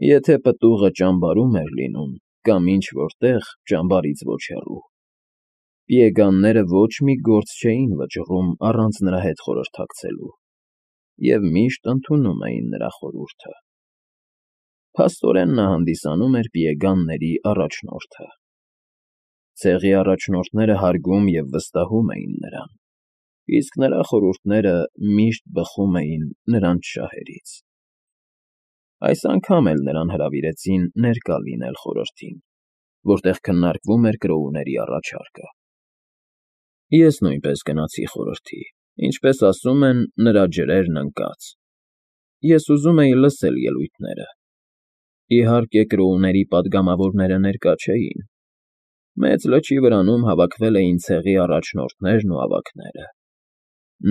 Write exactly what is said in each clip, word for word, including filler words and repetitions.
Եթե պտուղը ճամբարում էր լինում կամ ինչ֊որ տեղ ճամբարից ոչ հեռու, պիեգանները ոչ մի գործ չէին վճռում առանց նրա հետ խորհրդակցելու և միշտ ընդունում էին նրա խորհուրդը։ Փաստորեն նա հանդիսանում էր պիեգանների առաջնորդը։ Ցեղի առաջնորդները հարգում և վստահում էին նրան, իսկ նրա խորհուրդները միշտ բխում էին նրանց շահերից։ Այս անգամ էլ նրան հրավիրեցին ներկա լինել խորհրդին, որտեղ քննարկվում էր կրոուների առաջարկը։ Ես նույնպես գնացի խորհրդի, ինչպես ասում են, նրա ջրերն ընկած։ Ես ուզում էի լսել ելույթները։ Իհարկե, կրոուների պատգամավորները ներկա չէին։ Մեծ լճի վրանում հավաքվել էին ցեղի առաջնորդներն ու ավագները,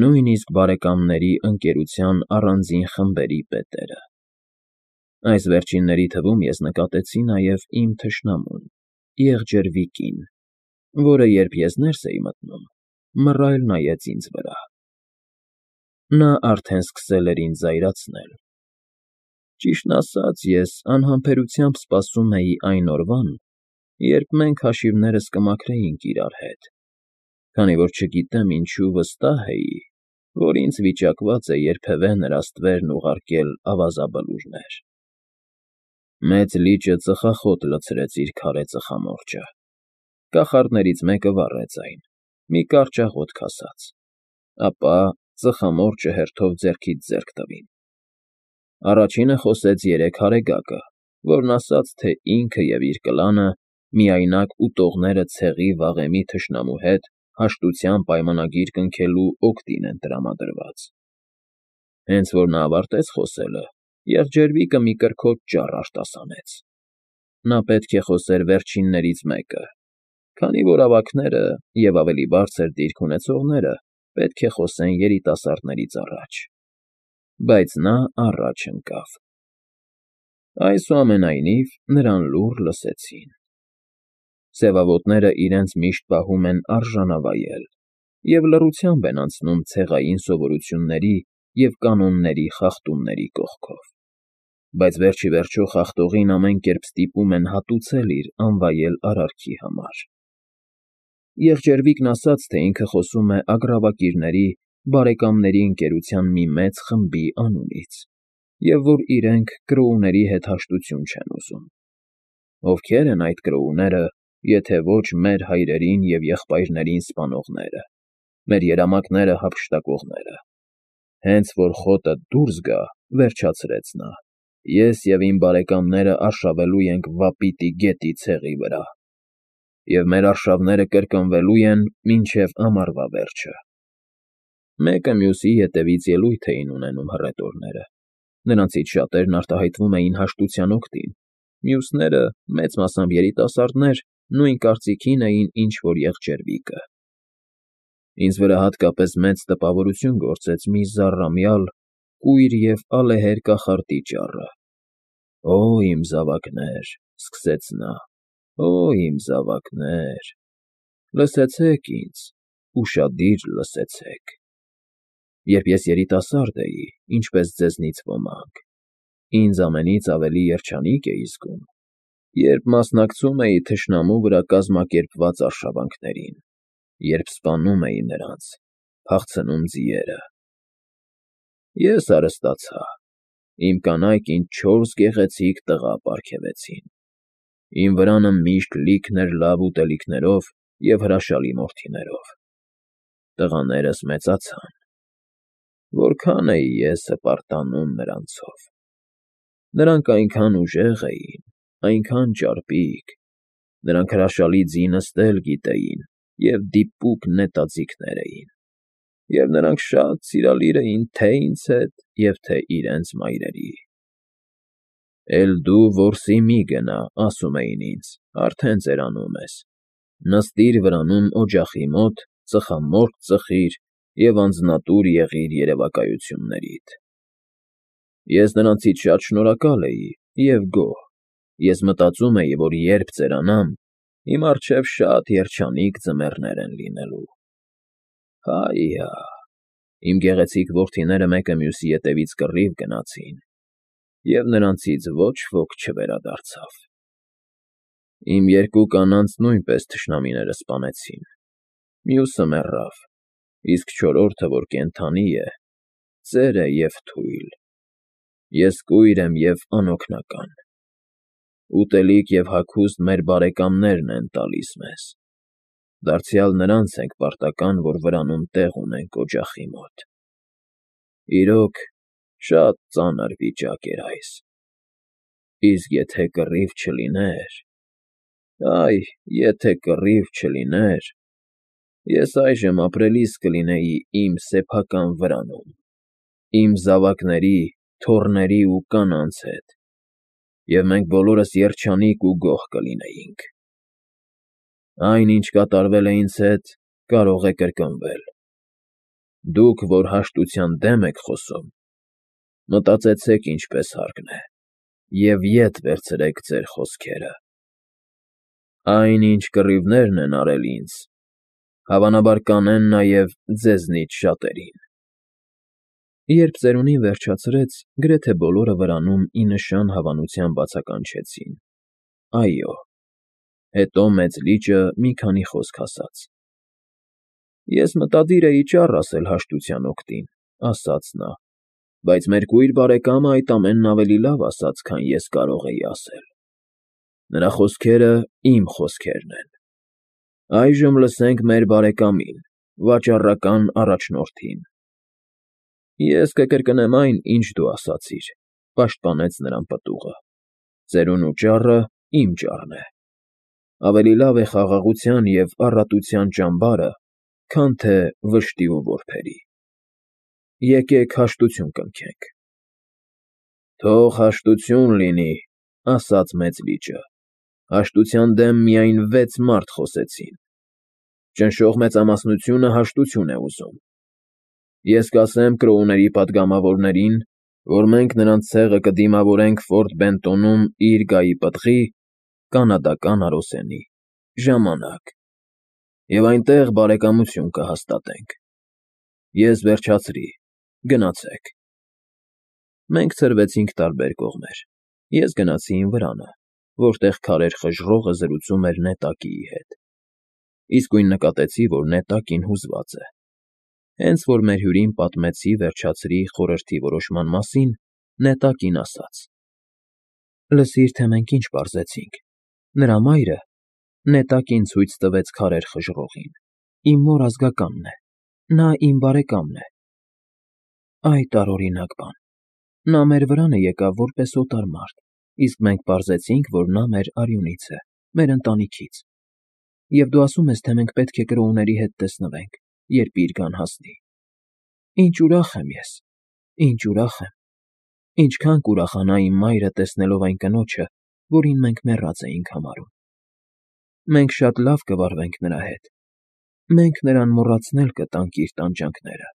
նույնիսկ բարեկամների ընկերության առանձին խմբերի պետերը։ Այս վերջինների թվում ես նկատեցի նաև իմ թշնամուն՝ եղջերվիկին, որը, երբ ես ներս էի մտնում, մռայլ նայեց ինձ վրա։ Նա արդեն սկսել էր ինձ զայրացնել։ Ճիշտն ասած, ես անհամբերությամբ սպասում էի այն օրվան, երբ մենք հաշիվներս կմաքրեինք իրար հետ, քանի որ չգիտեմ ինչու վստահ էի, որ ինձ վիճակված է երբևէ նրա ստվերն ուղարկել ավազաբլուրներ։ Մեծ լիճը ծխախոտ լցրեց իր քարե ծխամորճը։ Կախարդներից մեկը վառեց այն, մի կարճ աղոթք ասաց, ապա ծխամորճը հերթով ձեռքից ձեռք տվին։ Առաջինը խոսեց երեք հարեգակը, որն ասաց, թե ինքը և իր կլանը միայնակ ուտողները ցեղի վաղեմի թշնամու հետ հաշտության պայմանագիր կնքելու օգտին են տրամադրված։ Հենց որ նա ավարտեց խոսելը, եղջերվիկը մի կրքոջ ճառ արտասանեց։ Նա պետք է խոսեր վերջիններից մեկը, քանի որ ավագները և ավելի բարձր դիրք ունեցողները պետք է խոսեն երիտասարդներից առաջ։ Բայց նա առաջ ընկավ։ Այսուամենայնիվ, նրան լուռ լսեցին։ Սևավոտները իրենց միշտ պահում են արժանավայել և լռությամբ են անցնում ցեղային սովորությունների և կանոնների խախտումների կողքով, բայց վերջ ի վերջո խախտողին ամեն կերպ ստիպում են հատուցել իր անվայել արարքի համար։ Եղջերվիկն ասաց, թե ինքը խոսում է ագռավակիրների բարեկամների ընկերության մի մեծ խմբի անունից, և որ իրենք կրոուների հետ հաշտություն չեն ուզում։ Ովքե՞ր են այդ կրոուները, եթե ոչ մեր հայրերին և եղբայրներին սպանողները, մեր երամակները հափշտակողները։ Հենց որ խոտը դուրս գա, վերջացրեց նա, ես և իմ բարեկամները արշավելու ենք Վապիտի գետի ցեղի վրա, և մեր արշավները կրկնվելու են մինչև ամառվա վերջը։ Մեկը մյուսի ետևից ելույթ էին ունենում հռետորները, նրանցից շատերն արտահայտվում էին հաշտության օգտին, մյուսները, մեծ մասամբ երիտասարդներ, նույն կարծիքին էին, ինչ որ եղջերվիկը։ Ինձ վրա հատկապես մեծ տպավորություն գործեց մի զառամյալ, կույր և ալեհեր կախարդի ճառը։ Օ՜, իմ զավակներ, սկսեց նա, օ՜, իմ զավակներ, լսեցեք ինձ, ուշադիր լսեցեք։ Երբ ես երիտասարդ էի, ինչպես ձեզնից ոմանք, ինձ ամենից ավելի երջանիկ էի զգում, երբ մասնակցում էի թշնամու վրա կազմակերպված արշավանքներին, երբ սպանում էի նրանց, փախցնում ձիերը։ Ես հարստացա, իմ կանայք ինձ չորս գեղեցիկ տղա պարգևեցին։ Իմ վրանը միշտ լիքն էր լավ ուտելիքներով և հրաշալի մորթիներով։ Տղաներս մեծացան։ Որքան էի ես հպարտանում նրանցով։ Նրանք այնքան ուժեղ էին, այնքան ճարպիկ, նրանք հրաշալի ձի նստել գիտեին և դիպուկ նետաձիգներ էին, և նրանք շատ սիրալիր էին թե՛ ինձ հետ և թե՛ իրենց մայրերի։ «Էլ դու որսի մի գնա, ֊ ասում էին ինձ, ֊ արդեն ծերանում ես, նստիր վրանում օջախի մոտ, ծխամորճ ծխիր և անձնատուր եղիր երևակայություններիդ»։ Ես նրանցից շատ շնորհակալ էի և գոհ։ Ես մտածում էի, որ երբ ծերանամ, իմ առջև շատ երջանիկ ձմեռներ են լինելու։ Հայ֊յա՜, իմ գեղեցիկ որդիները մեկը մյուսի ետևից կռիվ գնացին։ և նրանցից ոչ ոք չվերադարձավ։ Իմ երկու կանանց նույնպես թշնամիները սպանեցին, մյուսը մեռավ, իսկ չորրորդը, որ կենդանի է, ծեր է և թույլ։ Ես կույր եմ և անօգնական։ Ուտելիք և հագուստ մեր բարեկամներն են տալիս մեզ, դարձյալ նրանց ենք պարտական, որ վրանում տեղ ունենք օջախի մոտ։ Իրոք, շատ ծանր վիճակ էր այս։ Իսկ եթե կռիվ չլիներ… Այ եթե կռիվ չլիներ, ես այժմ ապրելիս կլինեի իմ սեփական վրանում, իմ զավակների, թոռների ու կանանց հետ, և մենք բոլորս երջանիկ ու գոհ կլինեինք։ Այն, ինչ կատարվել է ինձ հետ, կարող է կրկնվել։ Դուք, որ հաշտության դեմ եք խոսում, մտածեցեք ինչպես հարկն է և ետ վերցրեք ձեր խոսքերը։ Այն, ինչ կռիվներն են արել ինձ, հավանաբար կանեն նաև ձեզնից շատերին։ Երբ ծերունին վերջացրեց, գրեթե բոլորը վրանում ի նշան հավանության բացականչեցին. «Այո»։ Հետո մեծ լիճը մի քանի խոսք ասաց. «Ես մտադիր էի ճառ ասել հաշտության օգտին», ֊ ասաց նա, «բայց մեր կույր բարեկամը այդ ամենն ավելի լավ ասաց, քան ես կարող էի ասել։ Նրա խոսքերը իմ խոսքերն են։ Այժմ լսենք մեր բարեկամին, վաճառական առաջնորդին»։ Ես կկրկնեմ այն, ինչ դու ասացիր, ֊ պաշտպանեց նրան պտուղը. ծերունու ճառը իմ ճառն է։ Ավելի լավ է խաղաղության և առատության ճամբարը, քան թե վշտի ու որբերի։ Եկեք հաշտություն կնքենք։ Թող հաշտություն լինի, ֊ ասաց մեծ լիճը, հաշտության դեմ միայն վեց մարդ խոսեցին։ Ճնշող մեծամասնությունը հաշտություն է ուզում։ Ես կասեմ Կրոուների պատգամավորներին, որ մենք նրանց ցեղը կդիմավորենք Ֆորտ Բենտոնում իր գահի պտղի (կանադական առուսենի) ժամանակ, և այնտեղ բարեկամություն կհաստատենք։ Ես վերջացրի, գնացեք։ Մենք ցրվեցինք տարբեր կողմեր։ Ես գնացի իմ վրանը, որտեղ քարեր խժռողը զրուցում էր նետակիի հետ։ Իսկույն նկատեցի, որ նետակին հուզված է։ Հենց որ մեր հյուրին պատմեցի վերջացրի խորհրդի որոշման մասին, նետակին ասաց. «Լսիր, թե մենք ինչ պարզեցինք. նրա մայրը նետակին ցույց տվեց քարեր խժռողին, իմ մոր ազգականն է, նա իմ բարեկամն է։ Այ տարօրինակ բան։ Նա մեր վրանը եկավ որպես օտար մարդ, իսկ մենք պարզեցինք, որ նա մեր արյունից է, մեր ընտանիքից։ Եվ դու ասում ես, թե մենք պետք է Կրոուների հետ տեսնվենք, երբ իր գան հասնի։ Ինչ ուրախ եմ ես, ինչ ուրախ եմ։ Ինչքան կուրախանա իմ մայրը տեսնելով այն կնոջը, որին մենք մեռած էինք համարում։ Մենք շատ լավ կվարվենք նրա հետ։ Մենք նրան մոռացնել կտանք իր տանջանքները»։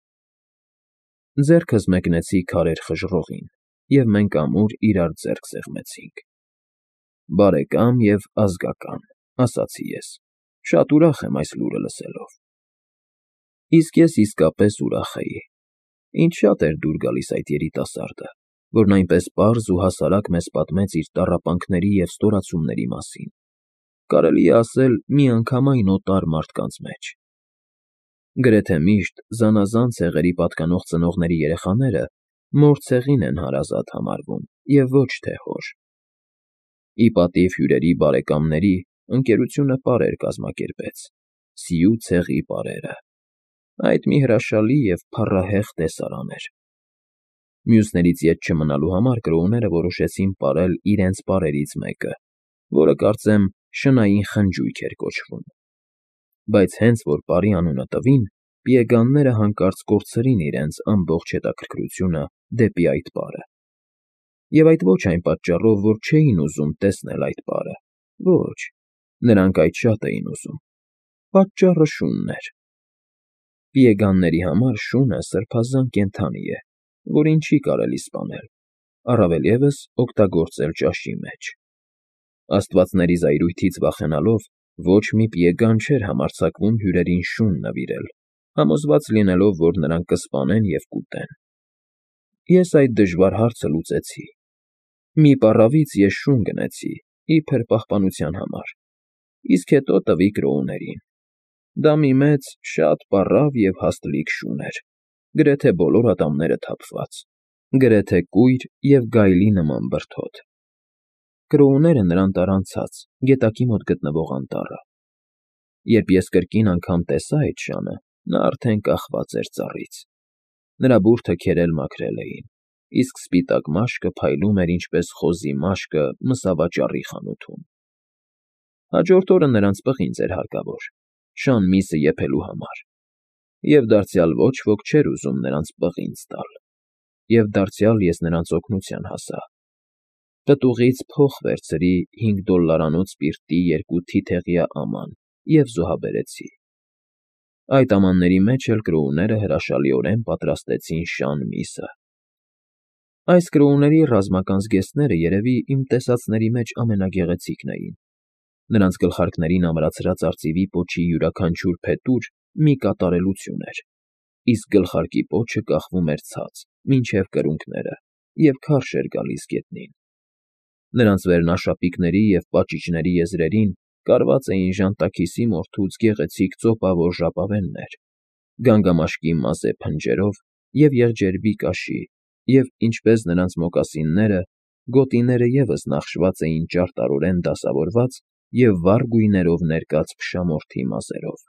Ձեռքս մեկնեցի քարեր խժռողին, և մենք ամուր իրար ձեռք սեղմեցինք։ «Բարեկամ և ազգական», ֊ ասացի ես, շատ ուրախ եմ այս լուրը լսելով։ Իսկ ես իսկապես ուրախ էի։ Ինձ շատ էր դուր գալիս այդ երիտասարդը, որն այնպես պարզ ու հասարակ մեզ պատմեց իր տառապանքների և ստորացումների մասին, կարելի է ասել, միանգամայն օտար մարդկանց մեջ։ Գրեթե միշտ զանազան ցեղերի պատկանող ծնողների երեխաները մոր ցեղին են հարազատ համարվում և ոչ թե հոր։ Ի պատիվ հյուրերի բարեկամների ընկերությունը պարեր կազմակերպեց՝ Սիու ցեղի պարերը։ Այդ մի հրաշալի և փառահեղ տեսարան էր։ Մյուսներից ետ չմնալու համար կրոուները որոշեցին պարել իրենց պարերից մեկը, որը, կարծեմ, շնային խնջույք էր կոչվում։ Բայց հենց որ պարի անունը տվին, պիեգանները հանկարծ կորցրին իրենց ամբողջ հետաքրքրությունը դեպի այդ պարը։ Եվ այդ ոչ այն պատճառով, որ չէին ուզում տեսնել այդ պարը, ոչ, նրանք այդ շատ էին ուզում։ Պատճառը շունն էր։ Պիեգանների համար շունը սրբազան կենդանի է, որին չի կարելի սպանել, առավել ևս օգտագործել ճաշի մեջ։ Աստվածների զայրույթից վախենալով ոչ մի պիեգան չէր համարձակվում հյուրերին շուն նվիրել, համոզված լինելով, որ նրանք կսպանեն և կուտեն։ Ես այդ դժվար հարցը լուծեցի։ Մի պառավից ես շուն գնեցի, իբր պահպանության համար, իսկ հետո տվի կրոուներին. դա մի մեծ, շատ պառավ և հաստլիկ շուն էր, գրեթե բոլոր ատամները թափված, գրեթե կույր և գայլի նման բրդոտ. Կրոուները նրան տարան ցած, գետակի մոտ գտնվող անտառը. երբ ես կրկին անգամ տեսա այդ շանը, նա արդեն կախված էր ծառից, նրա բուրդը քերել մաքրել էին, իսկ սպիտակ մաշկը փայլում էր ինչպես խոզի մաշկը մսավաճառի խանութում. Հաջորդ օրը նրանց պղինձ էր հարկավոր, շան միսը եփելու համար, և դարձյալ ոչ ոք չէր ուզում նրանց պղինձ տալ, և դարձյալ ես նրանց օգնության հասա. պտուղից փող վերցրի հինգ դոլլարանոց սպիրտի երկու թիթեղյա աման և զոհաբերեցի. այդ ամանների մեջ էլ կրոուները հրաշալիորեն պատրաստեցին շան միսը. Այս կրոուների ռազմական զգեստները երևի իմ տեսածների մեջ ամենագեղեցիկն էին. նրանց գլխարկներին ամրացրած արծիվի պոչի յուրաքանչյուր փետուր մի կատարելություն էր, իսկ գլխարկի պոչը կախվում էր ցած, մինչև կրունկները, և քարշ էր գալիս գետնին. նրանց վերնաշապիկների և պաճիճների եզրերին կարված էին ժանտաքիսի մորթուց գեղեցիկ ծոպավոր ժապավեններ, գանգամաշկի մազե փնջերով և եղջերվի կաշի և, ինչպես նրանց մոկասինները, գոտիները ևս նախշված էին ճարտարորեն դասավորված և վառ գույներով ներկած փշամորթի մազերով.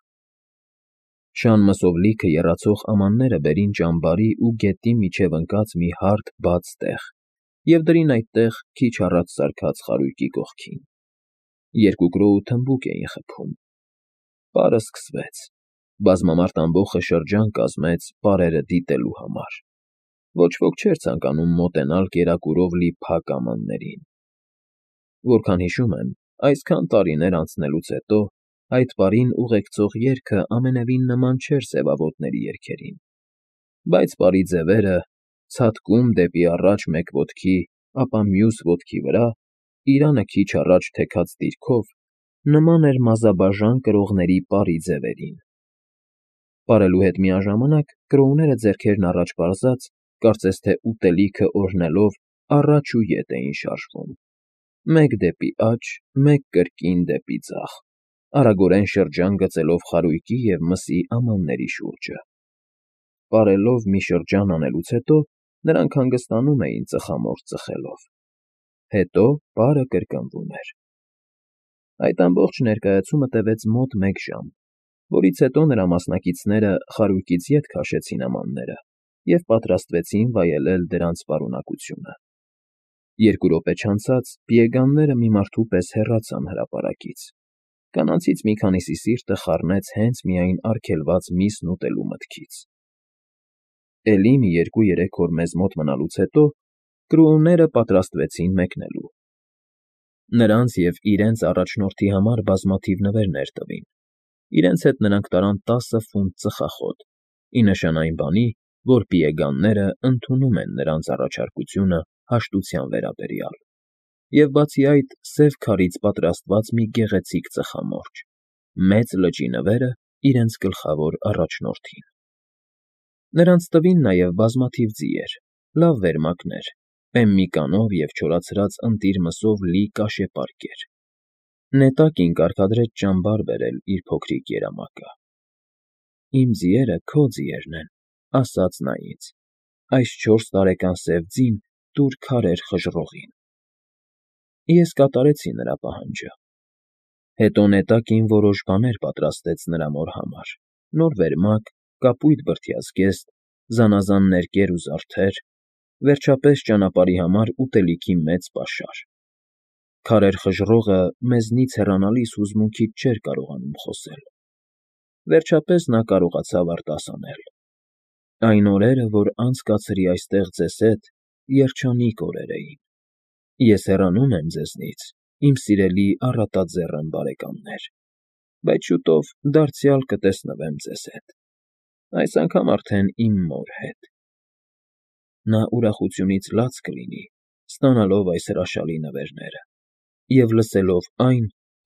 շան մսով լիքը եռացող ամանները բերին ճամբարի ու գետի միջև ընկած մի հարթ բաց տեղ և դրին այդտեղ քիչ առաջ սարքած խարույկի կողքին. երկու կրոու թմբուկ էին խփում. պարը սկսվեց, բազմամարդ ամբոխը շրջան կազմեց պարերը դիտելու համար. ոչ ոք չէր ցանկանում մոտենալ կերակուրով լի փակ ամաններին. Որքան հիշում եմ, այսքան տարիներ անցնելուց հետո այդ պարին ուղեկցող երգը ամենևին նման չէր սևավոտների երգերին, բայց պարի ձևերը, ցատկում դեպի առաջ մեկ ոտքի, ապա մյուս ոտքի վրա, իրանը քիչ առաջ թեքած դիրքով, նման էր մազաբաժան կրողների պարի ձևերին. պարելու հետ միաժամանակ կրոուները ձեռքերն առաջ պարզած, կարծես թե ուտելիքը օրհնելով, առաջ ու ետ էին շարժվում, մեկ դեպի աջ, մեկ կրկին դեպի ձախ, արագորեն շրջան գծելով խարույկի և մսի ամանների շուրջը. պարելով մի շրջան անելուց հետո նրանք հանգստանում էին ծխամորճ ծխելով. հետո պարը կրկնվում էր. այդ ամբողջ ներկայացումը տևեց մոտ մեկ ժամ, որից հետո նրա մասնակիցները խարույկից ետ քաշեցին ամանները և պատրաստվեցին վայելել դրանց պարունակությունը. երկու րոպե չանցած պիեգանները մի մարդու պես հեռացան հրապարակից, կանանցից մի քանիսի սիրտը խառնեց հենց միայն արգելված միսն ուտելու մտքից. էլի մի երկու֊երեք օր մեզ մոտ մնալուց հետո կրոուները պատրաստվեցին մեկնելու. նրանց և իրենց առաջնորդի համար բազմաթիվ նվերներ տվին, իրենց հետ նրանք տարան տասը ֆունտ ծխախոտ, ի նշան այն բանի, որ պիեգանները ընդունում են նրանց առաջարկությունը հաշտության վերաբերյալ, և բացի այդ սև քարից պատրաստված մի գեղեցիկ ծխամորճ, մեծ լճի նվերը իրենց գլխավոր առաջնորդին. նրանց տվին նաև բազմաթիվ ձիեր, լավ վերմակներ, պեմմի կանով և չորացրած ընտիր մսով լի կաշեպարկեր. նետակին կարգադրեց ճամբար բերել իր փոքրիկ երամակը. իմ ձիերը քո ձիերն են, ասաց նա ինձ, այս չորս տարեկան սև ձին տուր քարեր խժռողին. ես կատարեցի նրա պահանջը. հետո նետակին որոշ բաներ պատրաստեց նրա մոր համար, նոր վերմակ, կապույտ բրդյա զգեստ, զանազան ներկեր ու զարդեր, վերջապես ճանապարհի համար ուտելիքի մեծ պաշար. քարեր խժռողը մեզնից հեռանալիս հուզմունքից չէր կարողանում խոսել. վերջապես նա կարողացավ արտասանել. այն օրերը, որ անցկացրի այստեղ ձեզ հետ, երջանիկ օրեր էին. ես հեռանում եմ ձեզնից, իմ սիրելի առատաձեռն բարեկամներ, բայց շուտով դարձյալ կտեսնվեմ ձեզ հետ, այս անգամ արդեն իմ մոր հետ. նա ուրախությունից լաց կլինի, ստանալով այս հրաշալի նվերները և լսելով այն,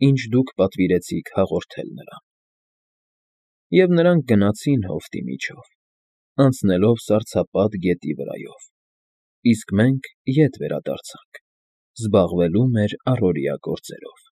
ինչ դուք պատվիրեցիք հաղորդել նրան։ Եվ նրանք գնացին հովտի միջով, անցնելով սառցապատ գետի վրայով, իսկ մենք ետ վերադարձանք, զբաղվելու մեր առօրյա գործերով։